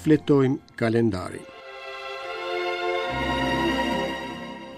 Shfletojmë kalendarin.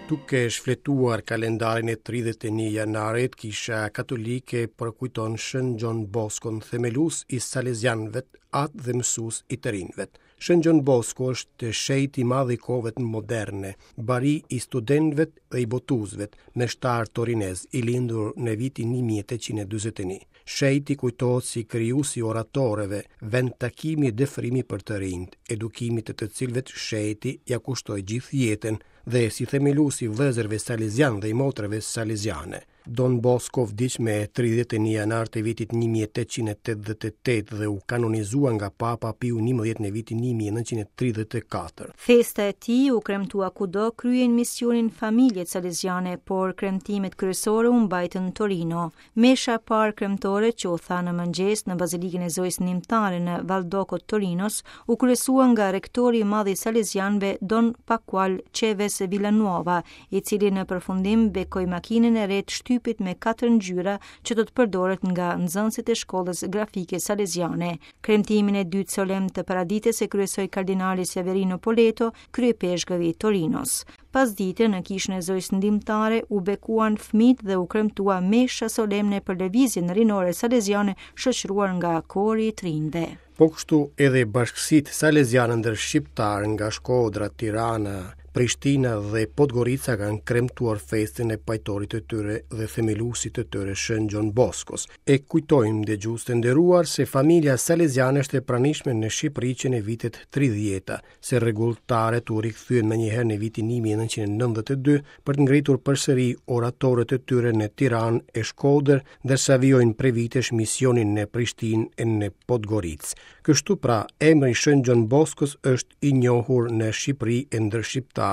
Duke shfletuar kalendarin e 31 janarit, Kisha Katolike përkujton Shën Gjon Boskon, themelues i Salezianëve, atë dhe mësues i të rinjve. Shën Gjon Bosko është shenjt i madh i kohëve moderne, bari i studentëve dhe i botuesve, meshtar torinez, i lindur në vitin 1841. Shenjti kujtohet si krijues i oratoreve, vend takimi e dëfrimi për të rinjtë, edukimit të të cilëve shenjti ia kushtoi gjithë jetën dhe si themelues i vëllezërve salezianë dhe i motrave saleziane. Don Bosco vdiq me 31 janar të vitit 1888 dhe u kanonizua nga Papa Piu XI në vitin 1934. Festa e tij u kremtua kudo kryejnë misionin familjet saleziane, por kremtimet kryesore u mbajtën në Torino. Mesha e parë kremtore që u tha në mëngjes në Bazilikën e Zojës Ndihmëtare në Valdocco të Torinos, u kryesua nga rektori i madh i Salezianëve Don Pascual Chaves Villanueva, i cili në përfundim bekoi makinën e re të shtypit me katër ngjyra që do të përdoret nga nxënësit e shkollës grafike saleziane. Kremtimin e dytë solemn të paradites e kryesoi kardinali Severino Poletto, kryeipeshkëv i Torinos. Pasdite në kishën e Zojës Ndihmëtare u bekuan fëmijët dhe u kremtua mesha solemne për lëvizjen rinore saleziane shoqëruar nga kori i të rinjve. Po kështu edhe bashkësitë saleziane ndër shqiptarë nga Shkodra, Tirana, Prishtina dhe Podgorica kanë kremtuar festën e pajtorit të tyre dhe themeluesit të tyre Shën Gjon Boskos. E kujtojmë dëgjues të nderuar se familja saleziane është e pranishme në Shqipëri që në vitet 30-ta. se rregulltarët u rikthyen menjëherë në vitin 1992 për të ngritur përsëri oratorët e tyre në Tiranë e Shkodër, ndërsa vijojnë prej vitesh misionin në Prishtinë e në Podgoricë. Kështu pra, emri i Shën Gjon Boskos është i njohur në Shqipëri e ndër shqiptarë,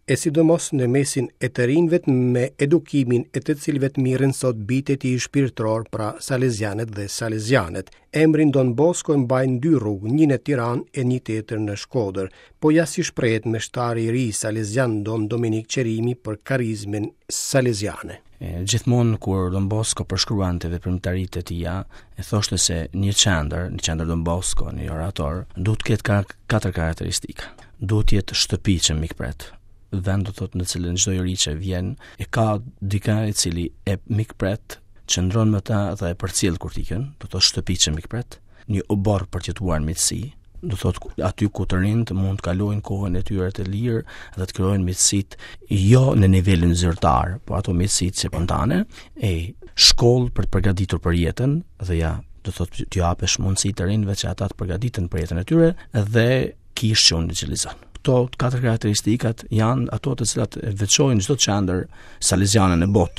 e sidomos në mesin e të rinjve me edukimin e të cilëve merren sot bijtë e tij shpirtërorë, pra salezianët dhe salezianet. Emrin Don Bosko e mbajnë dy rrugë, një në Tiranë e një tjetër në Shkodër. Po ja si shprehet meshtari i ri salezian Don Dominik Qerimi për karizmën saleziane. Gjithmonë kur Don Bosco përshkruante veprimtaritë e tija, e thoshte se një qendër, një qendër Don Bosco, një orator, duhet të ketë katër karakteristika. Duhet të jetë shtëpi që mikpret, vend do thotë në cilën çdo i ri që vjen e ka dikë i cili e mikpret qëndron me ta dhe e përcjell kur të ikën, do thotë shtëpi që mikpret, një oborr për të jetuar në miqësi, do thotë aty ku të rinjtë mund të kalojnë kohën e tyre të lirë dhe të krijojnë miqësitë jo në nivelin zyrtar, po ato miqësitë spontane, e shkollë për të përgatitur për jetën dhe ja, do thotë t'u japësh mundësi të rinjve që ata të përgatiten për jetën e tyre dhe kishë që ungjillizon. Këto katër karakteristikat janë ato të cilat veçojnë çdo qendër saleziane në botë.